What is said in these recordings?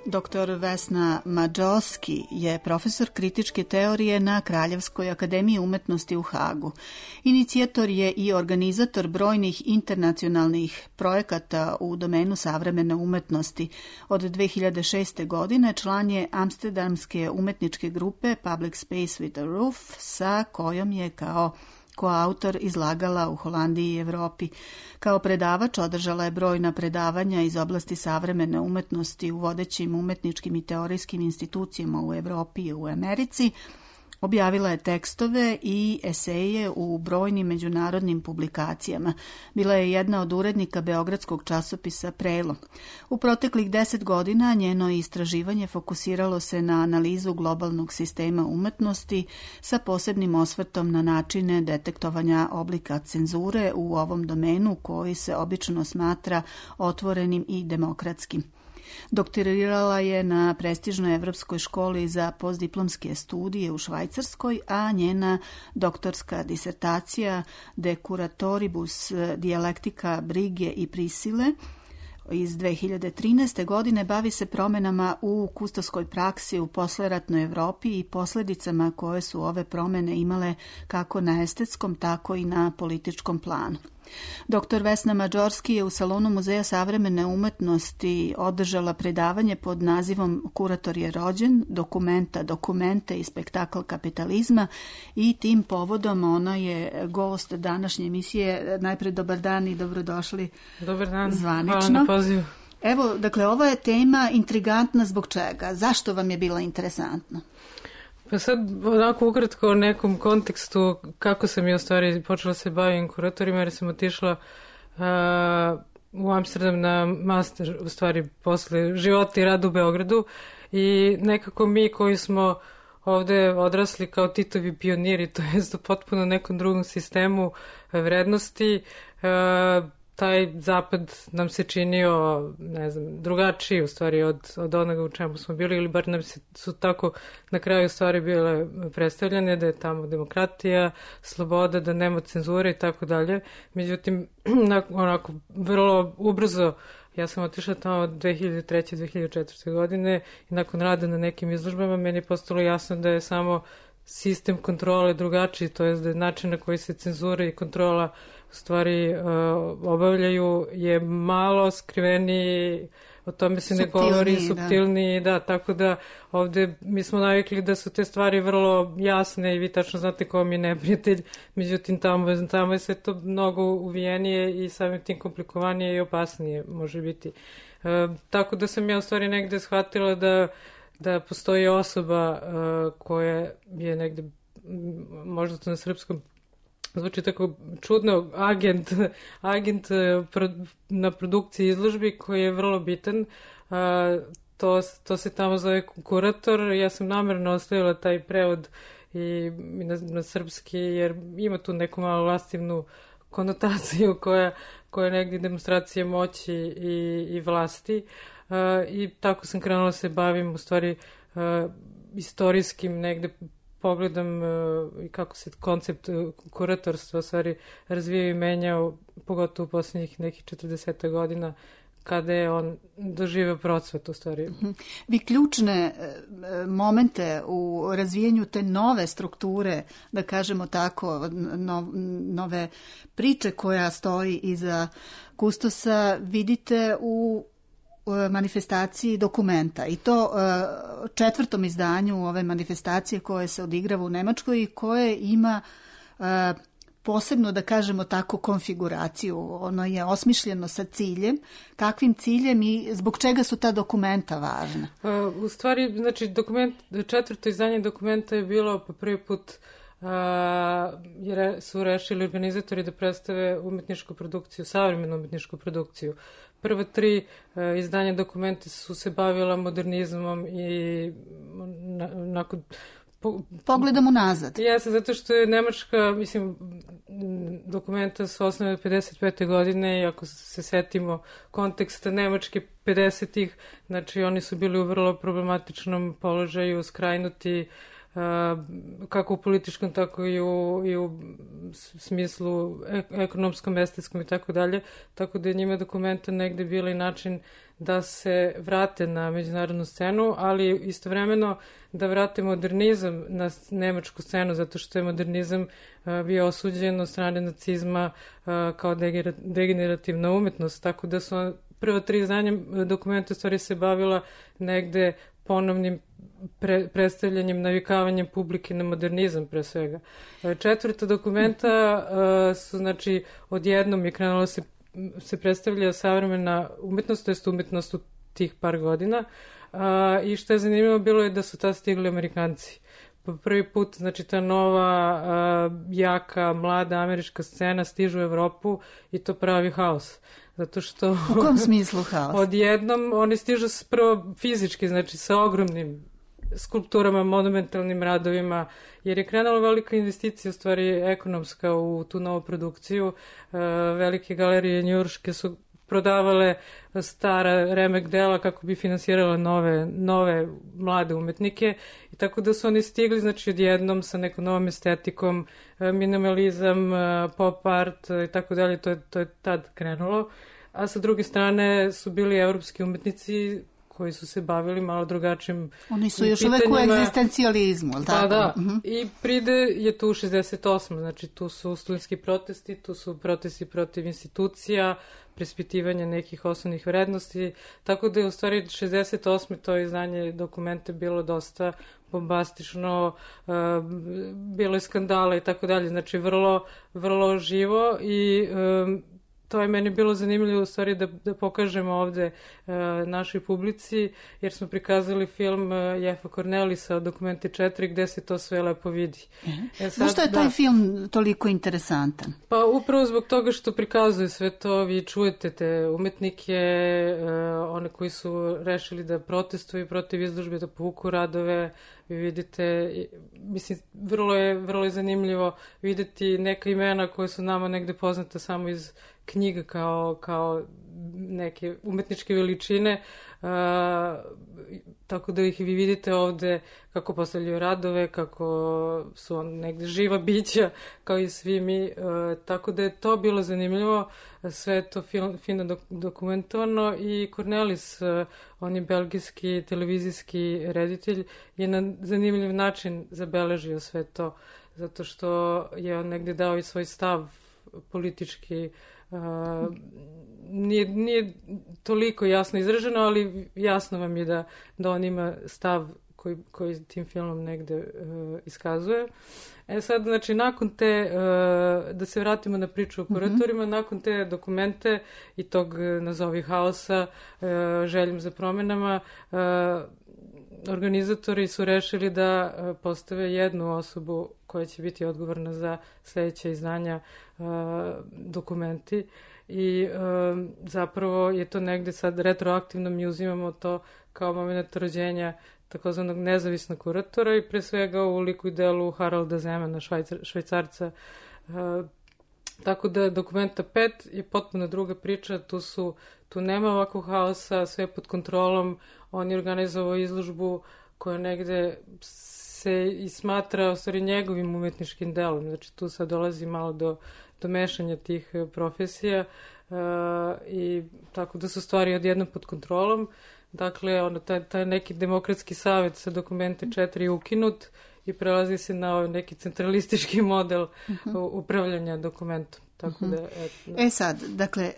Dr. Vesna Mađoski je profesor kritičke teorije na Kraljevskoj akademiji umetnosti u Hagu. Inicijator je i organizator brojnih internacionalnih projekata u domenu savremene umetnosti. Od 2006. godine član je amsterdamske umetničke grupe Public Space with a Roof, sa kojom je kao koautor izlagala u Holandiji i Evropi. Kao predavač održala je brojna predavanja iz oblasti savremene umetnosti u vodećim umetničkim i teorijskim institucijama u Evropi i u Americi. Objavila je tekstove i eseje u brojnim međunarodnim publikacijama. Bila je jedna od urednika beogradskog časopisa Prelo. U proteklih 10 godina njeno istraživanje fokusiralo se na analizu globalnog sistema umetnosti sa posebnim osvrtom na načine detektovanja oblika cenzure u ovom domenu koji se obično smatra otvorenim i demokratskim. Doktorirala je na prestižnoj Evropskoj školi za postdiplomske studije u Švajcarskoj, a njena doktorska disertacija De curatoribus dijalektika brige i prisile iz 2013. godine bavi se promenama u kustoskoj praksi u posleratnoj Evropi i posljedicama koje su ove promene imale kako na estetskom, tako i na političkom planu. Dr. Vesna Mađorski je u Salonu Muzeja savremene umetnosti održala predavanje pod nazivom Kurator je rođen, dokumente i spektakl kapitalizma i tim povodom ona je gost današnje emisije. Najpred dobar dan i dobrodošli. Dobar dan, zvanično. Hvala na pozivu. Evo, dakle, ova je tema intrigantna zbog čega? Zašto vam je bila interesantna? Pa sad onako ukratko o nekom kontekstu kako sam ja u stvari počela se bavim kuratorima, jer sam otišla u Amsterdam na master, u stvari posle života i rada u Beogradu, i nekako mi koji smo ovde odrasli kao Titovi pioniri, to jest u potpuno nekom drugom sistemu vrednosti, taj zapad nam se činio, ne znam, drugačiji u stvari od onoga u čemu smo bili, ili bar nam su tako na kraju stvari bile predstavljene, da je tamo demokratija, sloboda, da nema cenzure i tako dalje. Međutim, onako, vrlo ubrzo, ja sam otišla tamo 2003. 2004. godine i nakon rada na nekim izložbama meni je postalo jasno da je samo sistem kontrole drugačiji, to je da je način na koji se cenzura i kontrola u stvari obavljaju je malo skriveniji, o tome se ne govori, suptilniji, da, tako da ovde mi smo navikli da su te stvari vrlo jasne i vi tačno znate ko mi je neprijatelj, međutim tamo je sve to mnogo uvijenije i samim tim komplikovanije i opasnije može biti. Tako da sam ja u stvari negde shvatila da postoji osoba koja je negde, možda to na srpskom zvuči tako čudno, agent na produkciji izložbi koji je vrlo bitan. To se tamo zove kurator. Ja sam namerno ostavila taj prevod i na srpski, jer ima tu neku malo lastivnu konotaciju koja je negdje demonstracija moći i vlasti. I tako sam krenula se bavim u stvari istorijskim negde pogledam i kako se koncept kuratorstva stvari razvijao i menjao, pogotovo u posljednjih nekih 40 godina kada je on doživio procvat u stvari. Vi ključne momente u razvijenju te nove strukture, da kažemo tako, nove priče koja stoji iza kustosa, vidite u manifestaciji dokumenta, i to četvrtom izdanju ove manifestacije koje se odigrava u Nemačkoj i koje ima posebno, da kažemo tako, konfiguraciju. Ono je osmišljeno sa ciljem. Kakvim ciljem i zbog čega su ta dokumenta važna? U stvari, znači, četvrto izdanje dokumenta je bilo po prvi put jer su rešili organizatori da predstave umetničku produkciju, savremenu umetničku produkciju. Prva 3 izdanja dokumenta su se bavila modernizmom i nakon pogledamo nazad. Jeste, zato što je Nemačka, mislim, dokumenta su osnovne od 55. godine i ako se setimo konteksta Nemačke 50-ih, znači oni su bili u vrlo problematičnom položaju, skrajnuti, kako u političkom, tako i u smislu ekonomskom, estetskom i tako dalje. Tako da je njima Dokumenta negde bila i način da se vrate na međunarodnu scenu, ali istovremeno da vrate modernizam na nemačku scenu, zato što je modernizam bio osuđen od strane nacizma kao degenerativna umetnost. Tako da su prva 3 izdanja Dokumenta u stvari se bavila negde ponovnim predstavljanjem, navikavanjem publike na modernizam pre svega. 4. Dokumenta su, znači, odjednom je krenulo se predstavlja savremena umetnost, to jest umetnost u tih par godina. I što je zanimljivo bilo je da su tad stigli Amerikanci. Po prvi put, znači, ta nova, jaka, mlada američka scena stiže u Evropu i to pravi haos. Zato što... U kom smislu haos? Odjednom oni stižu prvo fizički, znači sa ogromnim skulpturama, monumentalnim radovima, jer je krenula velika investicija, u stvari ekonomska, u tu novu produkciju. Velike galerije njujorške su prodavale stara remek dela kako bi finansirala nove mlade umetnike i tako da su oni stigli, znači, odjednom sa nekom novom estetikom, minimalizam, pop art i tako dalje, to je tad krenulo. A sa druge strane su bili evropski umetnici koji su se bavili malo drugačijim pitanjima. Oni su još uvek u egzistencijalizmu, ali tako? Pa da, i pride je tu 68. Znači, tu su studentski protesti, tu su protesti protiv institucija, preispitivanje nekih osnovnih vrednosti, tako da je u stvari 68. to izdanje Dokumenta bilo dosta bombastično, bilo je skandala i tako dalje, znači vrlo živo i to je meni bilo zanimljivo u stvari da pokažemo ovde našoj publici, jer smo prikazali film Jeffa Cornelisa od Dokumenti 4 gde se to sve lepo vidi. Zašto je taj film toliko interesantan? Pa upravo zbog toga što prikazuje sve to, vi čujete te umetnike, one koji su rešili da protestuju protiv izložbe, da povuku radove, vi vidite, mislim, vrlo je zanimljivo videti neka imena koje su nama negde poznate samo iz knjiga kao neke umetničke veličine, tako da ih vi vidite ovde kako postavljaju radove, kako su negde živa bića kao i svi mi, tako da je to bilo zanimljivo, sve je to fino dokumentovano i Cornelis, on je belgijski televizijski reditelj, je na zanimljiv način zabeležio sve to, zato što je on negde dao i svoj stav politički. Nije toliko jasno izraženo, ali jasno vam je da on ima stav koji tim filmom negde iskazuje. Sad, znači, nakon te, da se vratimo na priču o kuratorima, nakon te Dokumente i tog, nazovi, haosa, željom za promenama, organizatori su rešili da postave jednu osobu koja će biti odgovorna za sledeće izdanja Dokumenti i zapravo je to negde sad retroaktivno, mi uzimamo to kao moment rođenja takozvanog nezavisnog kuratora i pre svega u liku i delu Haralda Zemana, Švajcarca. Tako da Dokumenta 5 je potpuno druga priča, tu nema ovakvog haosa, sve je pod kontrolom, on je organizovao izložbu koja negde se i smatra u stvari njegovim umetničkim delom, znači tu sad dolazi malo do mešanja tih profesija i tako da su stvari odjednom pod kontrolom. Dakle, taj neki demokratski savet sa Dokumente 4 je ukinut i prelazi se na neki centralistički model upravljanja dokumentom. Tako da, sad, dakle,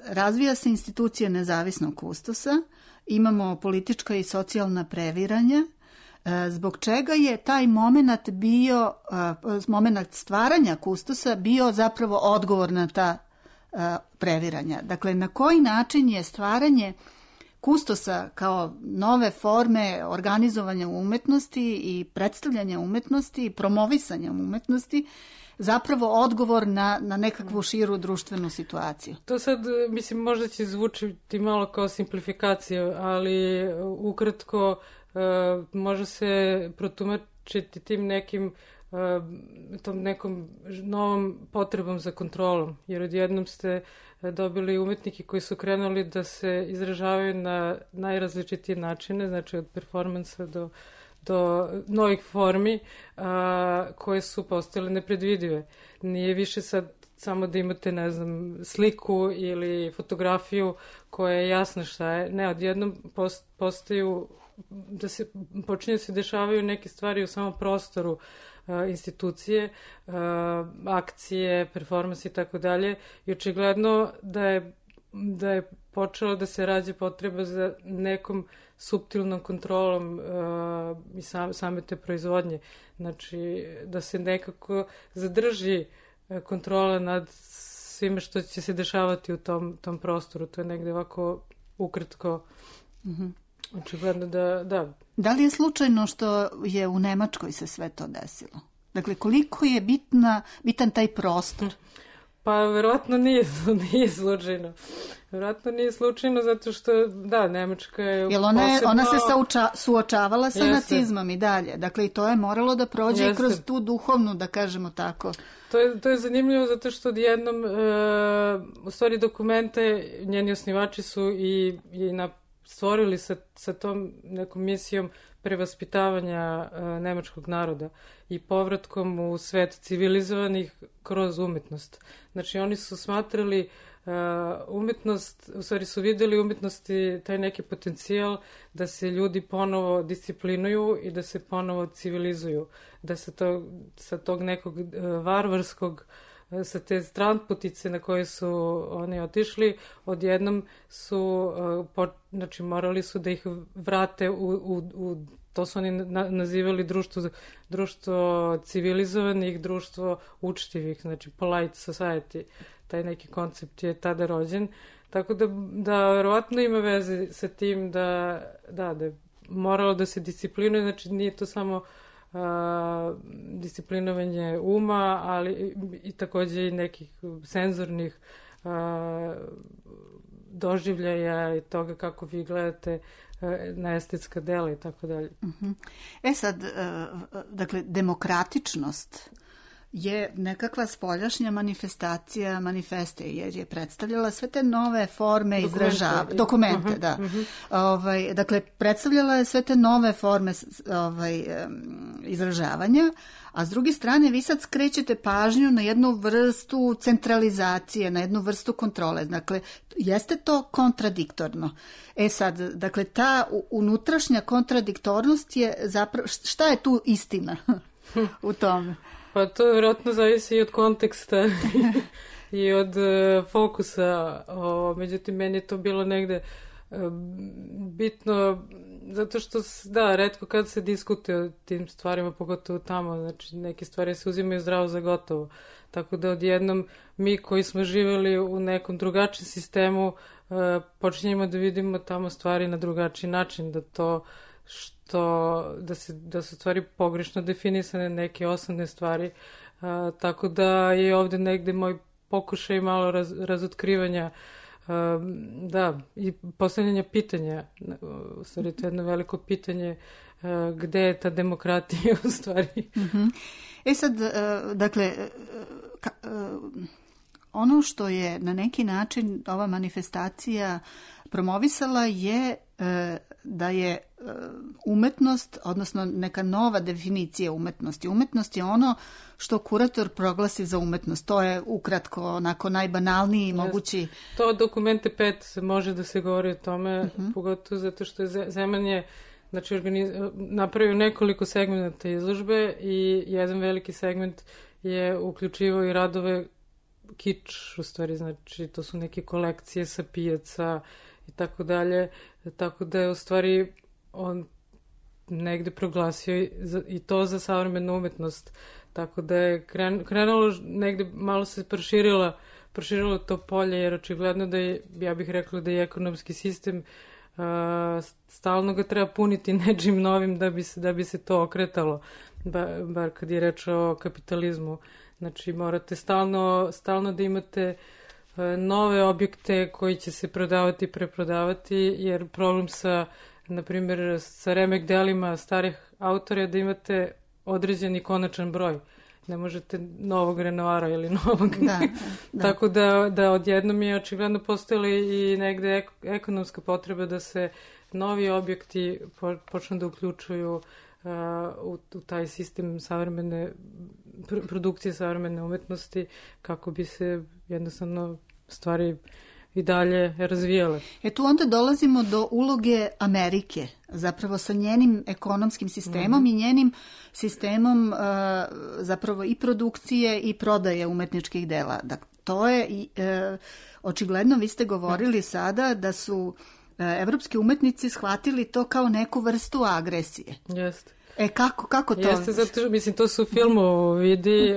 razvija se institucija nezavisnog kustosa, imamo politička i socijalna previranja, zbog čega je taj moment bio, moment stvaranja kustosa bio zapravo odgovor na ta previranja. Dakle, na koji način je stvaranje kustosa kao nove forme organizovanja umetnosti i predstavljanja umetnosti i promovisanja umetnosti zapravo odgovor na nekakvu širu društvenu situaciju? To sad, mislim, možda će zvučiti malo kao simplifikacija, ali ukratko može se protumačiti tim tom nekom novom potrebom za kontrolom, jer odjednom ste dobili umetnike koji su krenuli da se izražavaju na najrazličitije načine, znači od performansa do novih formi koje su postale nepredvidive. Nije više sad samo da imate, ne znam, sliku ili fotografiju koja je jasna šta je. Ne, odjednom postaju, počinju se dešavaju neke stvari u samom prostoru institucije, akcije, performansi i tako dalje. I očigledno da je počelo da se rađe potreba za nekom suptilnom kontrolom i same te proizvodnje. Znači, da se nekako zadrži kontrola nad svime što će se dešavati u tom prostoru. To je negde ovako ukratko. Očigledno da. Da li je slučajno što je u Nemačkoj se sve to desilo? Dakle, koliko je bitan taj prostor? Pa, verovatno nije slučajno. Verovatno nije slučajno zato što, da, Nemačka je posebno... Ona se suočavala sa nacizmom i dalje. Dakle, i to je moralo da prođe kroz tu duhovnu, da kažemo tako. To je zanimljivo zato što odjednom, u stvari dokumente, njeni osnivači su i stvorili sa tom nekom misijom prevaspitavanja nemačkog naroda i povratkom u svet civilizovanih kroz umetnost. Znači, oni su smatrali umetnost, u stvari su videli umetnosti taj neki potencijal da se ljudi ponovo disciplinuju i da se ponovo civilizuju. Da se sa tog nekog varvarskog, sa te stranputice na koje su oni otišli, odjednom su, znači morali su da ih vrate to su oni nazivali društvo civilizovanih, društvo učtivih, znači polite society. Taj neki koncept je tada rođen. Tako da verovatno ima veze sa tim da je moralo da se disciplinuje, znači nije to samo disciplinovanje uma, ali i takođe i nekih senzornih doživljaja i toga kako vi gledate na estetska dela i tako dalje. Sad, dakle, demokratičnost je nekakva spoljašnja manifestacija manifeste, jer je predstavljala sve te nove forme dokumente, da. Dakle, predstavljala je sve te nove forme izražavanja, a s druge strane vi sad skrećete pažnju na jednu vrstu centralizacije, na jednu vrstu kontrole. Dakle, jeste to kontradiktorno. Sad, dakle, ta unutrašnja kontradiktornost je zapravo, šta je tu istina u tome? Pa to vjerojatno zavisi i od konteksta i od fokusa. Međutim, meni je to bilo negde bitno, zato što, da, retko kad se diskutuje o tim stvarima, pogotovo tamo, znači neke stvari se uzimaju zdravo za gotovo. Tako da odjednom mi koji smo živjeli u nekom drugačijem sistemu počinjemo da vidimo tamo stvari na drugačiji način, da su stvari pogrešno definisane, neke osnovne stvari, tako da je ovde negde moj pokušaj malo razotkrivanja, da, i postavljanja pitanja, u stvari to je jedno veliko pitanje, gde je ta demokratija u stvari. Sad, dakle, ono što je na neki način ova manifestacija promovisala je da je umetnost, odnosno neka nova definicija umetnosti. Umetnost je ono što kurator proglasi za umetnost. To je ukratko, onako najbanalniji mogući... To dokumente 5 može da se govori o tome, pogotovo zato što je Zeman je napravio nekoliko segmenta izložbe i jedan veliki segment je uključivao i radove kič, u stvari, znači to su neke kolekcije sa pijaca i tako dalje, tako da je u stvari on negde proglasio i to za savremenu umetnost, tako da je krenulo negde, malo se proširilo to polje, jer očigledno da je, ja bih rekla da je ekonomski sistem, stalno ga treba puniti nečim novim da bi se to okretalo, bar kad je reč o kapitalizmu. Znači morate stalno da imate nove objekte koji će se prodavati i preprodavati, jer problem na primjer, sa remek delima starih autora je da imate određeni konačan broj. Ne možete novog Renoira ili novog... Da. Tako da odjednom je očigledno postojala i negde ekonomska potreba da se novi objekti počnu da uključuju u taj sistem savremene produkcije savremene umetnosti kako bi se jednostavno stvari i dalje razvijale. Tu onda dolazimo do uloge Amerike, zapravo sa njenim ekonomskim sistemom i njenim sistemom zapravo i produkcije i prodaje umetničkih dela. Dakle, to je očigledno, vi ste govorili sada da su evropski umetnici shvatili to kao neku vrstu agresije. Jeste. Kako to? Jeste, zato mislim, to su u filmu vidi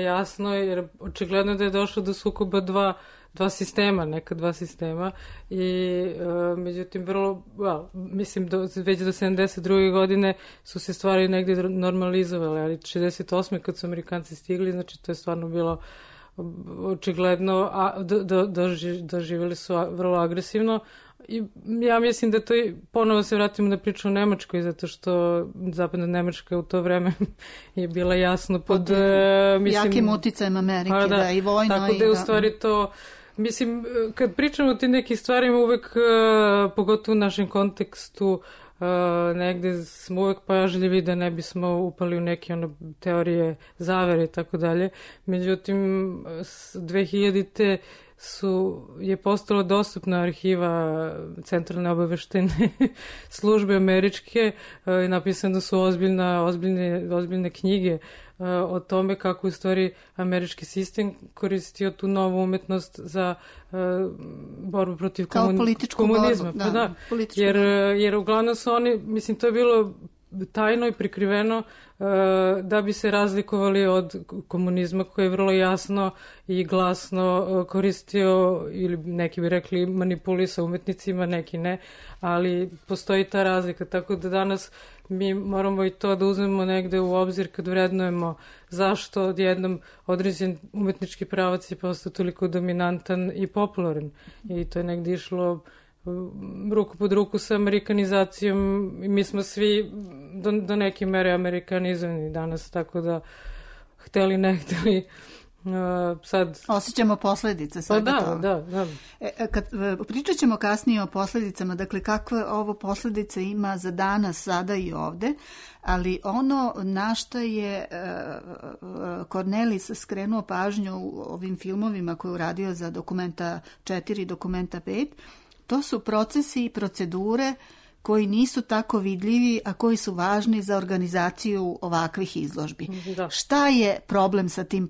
jasno, jer očigledno da je došlo do sukoba dva sistema i međutim mislim već do 72. godine su se stvari negdje normalizovale, ali 68. kad su Amerikanci stigli, znači to je stvarno bilo očigledno, doživjeli su vrlo agresivno i ja mislim da to ponovo se vratimo na priču o Nemačkoj, zato što zapadna Nemačka u to vreme je bila jasno pod jakim uticajem Amerike, da, i vojno. Tako da je u stvari to, mislim, kad pričamo o tim nekim stvarima uvek, pogotovo u našem kontekstu, negde smo uvek pažljivi da ne bismo upali u neke teorije zavere i tako dalje. Međutim, 2000-te je postala dostupna arhiva Centralne obaveštajne službe američke i napisane su ozbiljne knjige o tome kako u stvari američki sistem koristio tu novu umetnost za borbu protiv komunizma. Borbu, da, jer uglavnom su oni, mislim, to je bilo tajno i prikriveno da bi se razlikovali od komunizma koji je vrlo jasno i glasno koristio, ili neki bi rekli manipulisao umetnicima, neki ne, ali postoji ta razlika, tako da danas mi moramo i to da uzmemo negde u obzir kad vrednujemo zašto odjednom određen umetnički pravac je postao toliko dominantan i popularan, i to je negde išlo ruku pod ruku sa amerikanizacijom i mi smo svi do neke mere amerikanizovani danas, tako da hteli ne hteli sad... Osjećamo posljedice svega toga. Da. Pričat ćemo kasnije o posljedicama, dakle kakve ovo posljedice ima za danas, sada i ovde, ali ono na što je Cornelis skrenuo pažnju u ovim filmovima koje je uradio za Dokumenta 4 i Dokumenta 5, to su procesi i procedure koji nisu tako vidljivi, a koji su važni za organizaciju ovakvih izložbi. Da. Šta je problem sa tim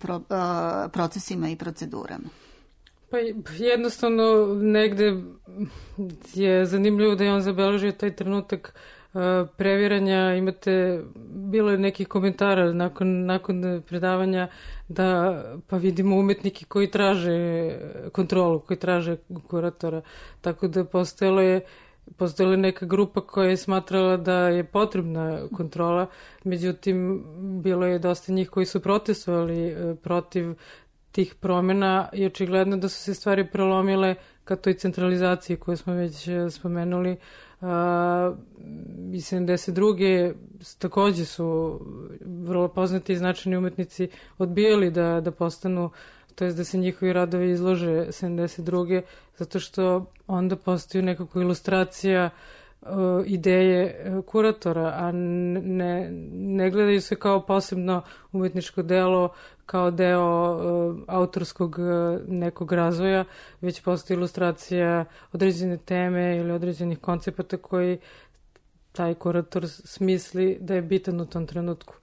procesima i procedurama? Pa jednostavno negde je zanimljivo da je on zabeležio taj trenutak previranja. Bilo je nekih komentara nakon predavanja da pa vidimo umetnike koji traže kontrolu, koji traže kuratora. Tako da postojala je neka grupa koja je smatrala da je potrebna kontrola, međutim bilo je dosta njih koji su protestovali protiv tih promjena i očigledno da su se stvari prelomile ka toj centralizaciji koju smo već spomenuli. I 72. također su vrlo poznati i značajni umetnici odbijali da postanu, to jest da se njihovi radovi izlože 72. zato što onda postaju nekako ilustracija ideje kuratora, a ne gledaju se kao posebno umetničko delo, kao deo autorskog nekog razvoja, već postoji ilustracija određene teme ili određenih koncepata koji taj kurator smisli da je bitan u tom trenutku.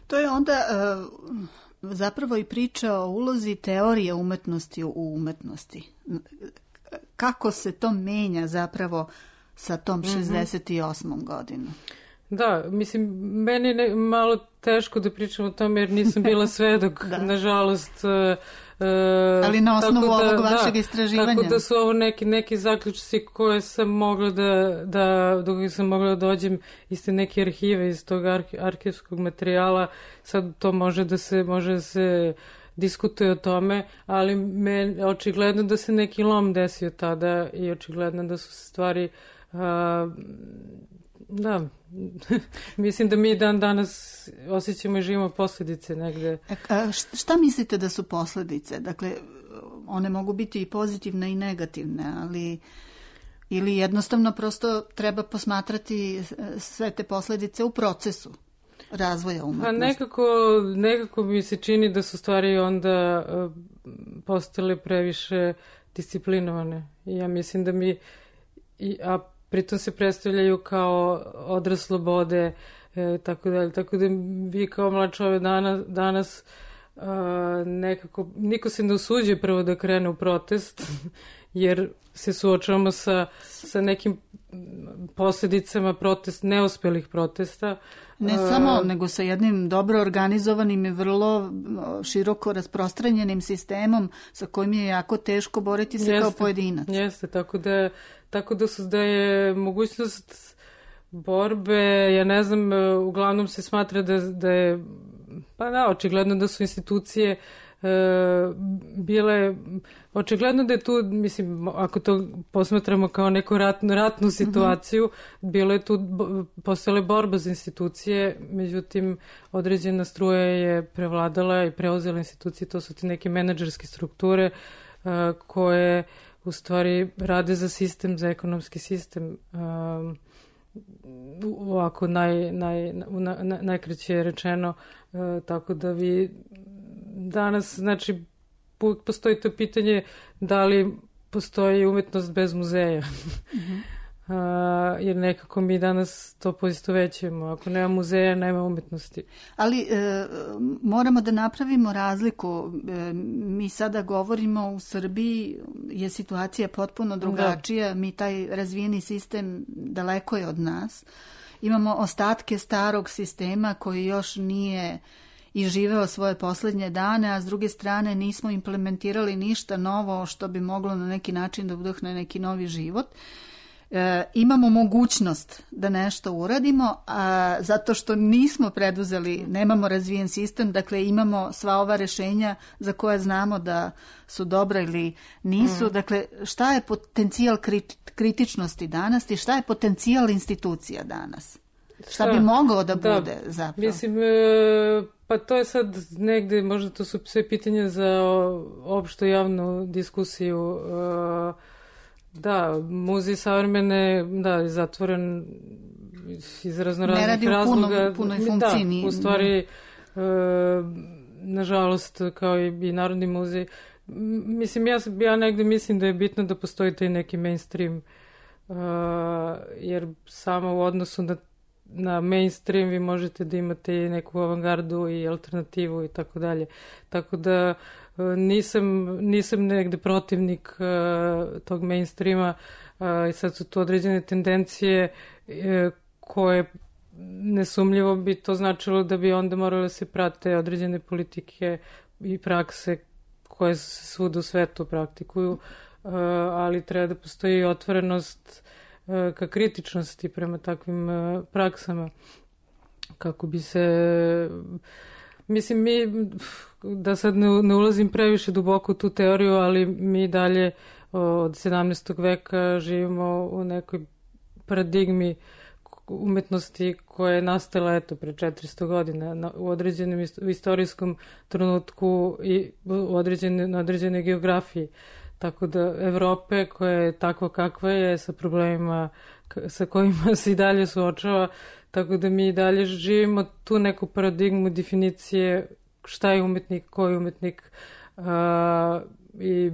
To je onda zapravo i priča o ulozi teorije umetnosti u umetnosti. Kako se to menja zapravo sa tom 68. godinom? Da, mislim, meni je malo teško da pričam o tome jer nisam bila svedok, nažalost. Ali na osnovu ovog vašeg istraživanja. Tako da su ovo neki zaključci koje sam mogla do kojih sam mogla da dođem iz te neke arhive, iz tog arhivskog materijala. Sad to može da se diskutuje o tome, ali očigledno da se neki lom desio tada i očigledno da su stvari da, mislim da mi dan danas osjećamo i živimo posljedice negde. Šta mislite da su posljedice? Dakle, one mogu biti i pozitivne i negativne, ali Ili jednostavno prosto treba posmatrati sve te posljedice u procesu razvoja umetnosti? Pa nekako mi se čini da su stvari onda postale previše disciplinovane. I ja mislim da a pritom se predstavljaju kao odraz slobode, tako da vi kao mlad čovjek danas nekako, niko se ne usuđuje prvo da krene u protest, jer se suočavamo sa nekim posljedicama neuspjelih protesta. Ne samo, nego sa jednim dobro organizovanim i vrlo široko rasprostranjenim sistemom sa kojim je jako teško boriti se kao pojedinac. Jeste, tako da je mogućnost borbe, ja ne znam, uglavnom se smatra da je, pa da, očigledno da su institucije bile, očigledno da je tu, mislim, ako to posmatramo kao neku ratnu situaciju, bilo je tu, postojala borba za institucije, međutim, određena struja je prevladala i preuzela institucije, to su ti neke menadžerske strukture koje u stvari rade za sistem, za ekonomski sistem, ovako najkraće rečeno, tako da vi danas, znači, postoji to pitanje da li postoji umetnost bez muzeja. Jer nekako mi danas to poistovećujemo. Ako nema muzeja, nema umetnosti. Ali moramo da napravimo razliku. Mi sada govorimo u Srbiji, je situacija potpuno drugačija. Da. Mi taj razvijeni sistem daleko je od nas. Imamo ostatke starog sistema koji još nije i živeo svoje posljednje dane, a s druge strane nismo implementirali ništa novo što bi moglo na neki način da udahne neki novi život. Imamo mogućnost da nešto uradimo, a zato što nismo preduzeli, nemamo razvijen sistem, dakle imamo sva ova rješenja za koje znamo da su dobra ili nisu. Dakle, šta je potencijal kritičnosti danas i šta je potencijal institucija danas? Šta bi moglo da bude zapravo? Mislim, pa to je sad negde, možda to su sve pitanja za opštu javnu diskusiju. Da, muzej savremene, da, je zatvoren iz raznoraznih razloga. Ne radi u punoj funkciji. Da, u stvari, nažalost, kao i Narodni muzej. Mislim, ja negde mislim da je bitno da postoji taj neki mainstream, jer samo u odnosu na mainstream vi možete da imate i neku avangardu i alternativu i tako dalje. Tako da nisam negde protivnik tog mainstreama i sad su to određene tendencije koje nesumljivo bi to značilo da bi onda morale se prate određene politike i prakse koje se svuda u svetu praktikuju, ali treba da postoji otvorenost ka kritičnosti prema takvim praksama kako bi se, mislim, mi, da sad ne ulazim previše duboko u tu teoriju, ali mi dalje od 17. veka živimo u nekoj paradigmi umetnosti koja je nastala pre 400 godina u određenom istorijskom trenutku i na određenoj geografiji. Tako da Evrope koja je takva kakva je sa problemima sa kojima se i dalje suočava, tako da mi i dalje živimo tu neku paradigmu definicije šta je umetnik, ko je umetnik. I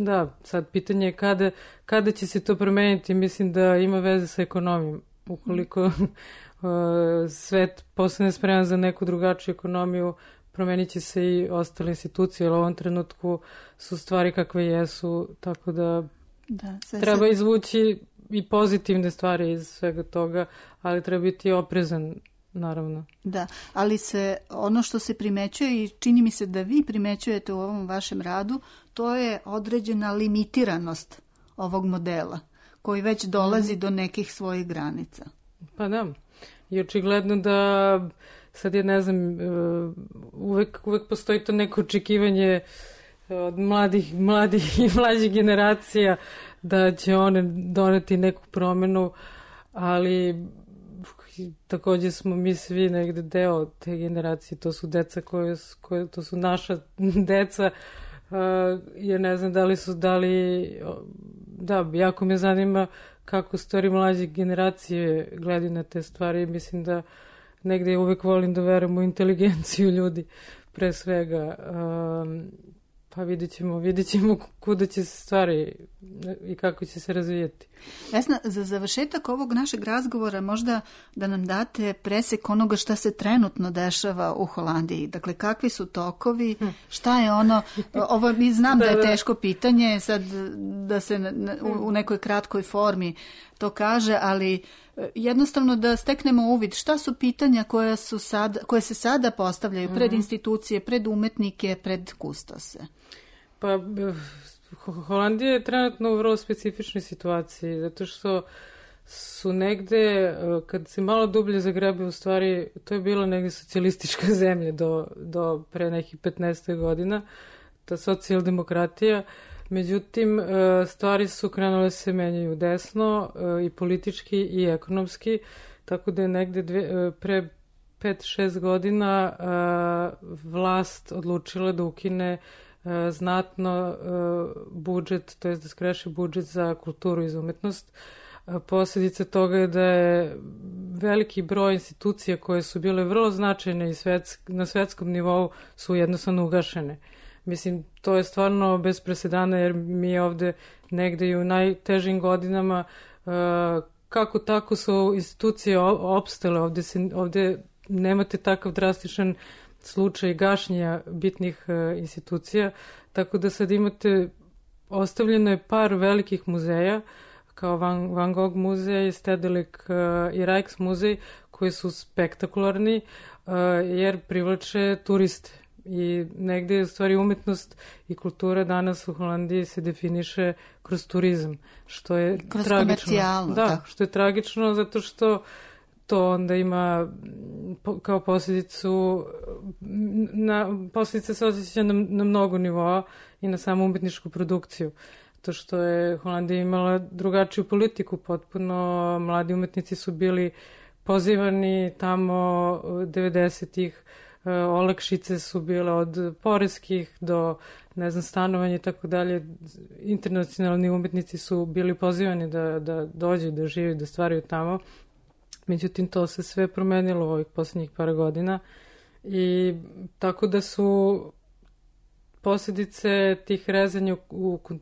da, sad pitanje je kada će se to promeniti. Mislim da ima veze sa ekonomijom. Ukoliko svet postane spreman za neku drugačiju ekonomiju, promenit će se i ostale institucije, ali u ovom trenutku su stvari kakve jesu, tako da treba izvući i pozitivne stvari iz svega toga, ali treba biti oprezan, naravno. Da, ali ono što se primećuje i čini mi se da vi primećujete u ovom vašem radu, to je određena limitiranost ovog modela, koji već dolazi do nekih svojih granica. Pa da, i očigledno da sad je, ne znam, uvek postoji to neko očekivanje od mladih i mlađih generacija da će one doneti neku promenu, ali također smo mi svi negde deo te generacije, to su deca to su naša deca, jer ne znam da li da, jako me zanima kako stvari mlađe generacije gledaju na te stvari. Mislim da negde uvek volim da verujem u inteligenciju ljudi pre svega. Pa vidjet ćemo kuda će se stvari i kako će se razvijeti. Vesna, za završetak ovog našeg razgovora možda da nam date presek onoga šta se trenutno dešava u Holandiji. Dakle, kakvi su tokovi, šta je ono, ovo znam da je teško pitanje, sad da se u nekoj kratkoj formi to kaže, ali jednostavno da steknemo uvid šta su pitanja koje se sada postavljaju pred institucije, pred umetnike, pred kustose. Pa Holandija je trenutno u vrlo specifičnoj situaciji, zato što su negde, kad se malo dublje zagrebe, u stvari, to je bila negde socijalistička zemlja do pre nekih 15 godina, ta socijaldemokratija. Međutim, stvari su krenule se menjaju desno i politički i ekonomski, tako da je negde pre 5-6 godina vlast odlučila da ukine znatno budžet, to je da skreši budžet za kulturu i za umetnost. Posljedica toga je da je veliki broj institucija koje su bile vrlo značajne i na svetskom nivou su jednostavno ugašene. Mislim, to je stvarno bez presedana, jer mi ovde negde i u najtežim godinama kako tako su institucije opstale. Ovde nemate takav drastičan slučaj gašenja bitnih institucija, tako da sad imate, ostavljeno je par velikih muzeja, kao Van Gogh muzej, Stedelijk i Rijksmuzej, koji su spektakularni jer privlače turiste. I negde u stvari umetnost i kultura danas u Holandiji se definiše kroz turizam, što je kroz tragično. Da, što je tragično zato što to onda ima kao posljedicu, posljedice se osjeća na mnogo nivoa i na samu umetničku produkciju. To što je Holandija imala drugačiju politiku potpuno, mladi umetnici su bili pozivani tamo 90-ih, olakšice su bile od poreskih do, ne znam, stanovanja i tako dalje. Internacionalni umetnici su bili pozivani da dođu, da žive, da stvaraju tamo. Međutim, to se sve promenilo u ovih posljednjih par godina i tako da su posljedice tih rezanja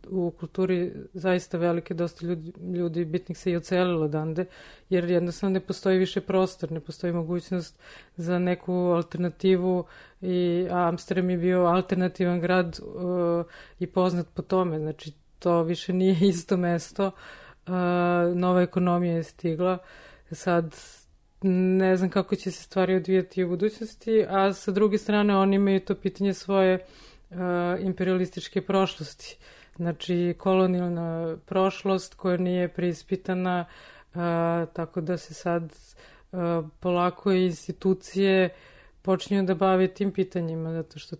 u kulturi zaista velike. Dosta ljudi bitnih se i ocelilo odande, jer jednostavno ne postoji više prostor, ne postoji mogućnost za neku alternativu i Amsterdam je bio alternativan grad i poznat po tome. Znači, to više nije isto mesto. Nova ekonomija je stigla. Sad, ne znam kako će se stvari odvijati u budućnosti, a sa druge strane oni imaju to pitanje svoje imperialističke prošlosti. Znači, kolonijalna prošlost koja nije preispitana, tako da se sad polako institucije počinju da bave tim pitanjima, zato što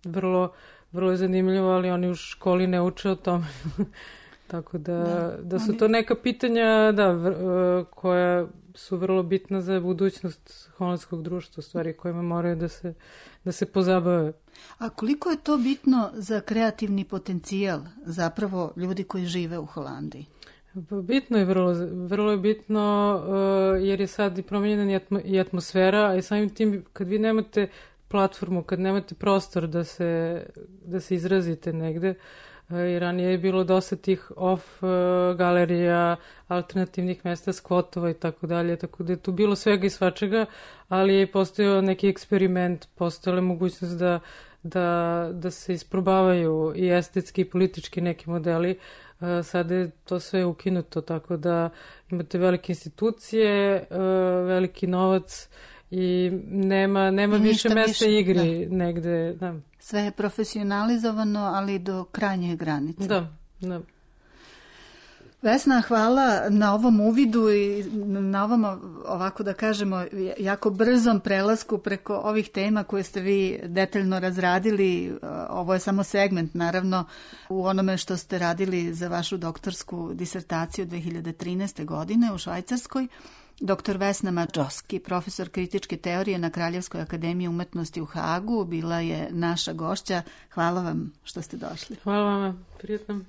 vrlo je zanimljivo, ali oni u školi ne uče o tome. Tako da su to neka pitanja koja su vrlo bitna za budućnost holandskog društva, stvari kojima moraju da se pozabave. A koliko je to bitno za kreativni potencijal zapravo ljudi koji žive u Holandiji? Bitno je, vrlo je bitno jer je sad i promijenjena i atmosfera, a i samim tim kad vi nemate platformu, kad nemate prostor da se izrazite negde, i ranije je bilo dosta tih off galerija, alternativnih mesta, skvotova i tako dalje, tako da je tu bilo svega i svačega, ali je postojao neki eksperiment, postojala je mogućnost da se isprobavaju i estetski i politički neki modeli. Sada je to sve ukinuto, tako da imate velike institucije, veliki novac i nema više mesta igri negde. Da. Sve je profesionalizovano, ali do krajnje granice. Da. Vesna, hvala na ovom uvidu i na ovom, ovako da kažemo, jako brzom prelasku preko ovih tema koje ste vi detaljno razradili. Ovo je samo segment, naravno, u onome što ste radili za vašu doktorsku disertaciju 2013. godine u Švajcarskoj. Dr. Vesna Madžoski, profesor kritičke teorije na Kraljevskoj akademiji umetnosti u Hagu, bila je naša gošća. Hvala vam što ste došli. Hvala vam, prijetno.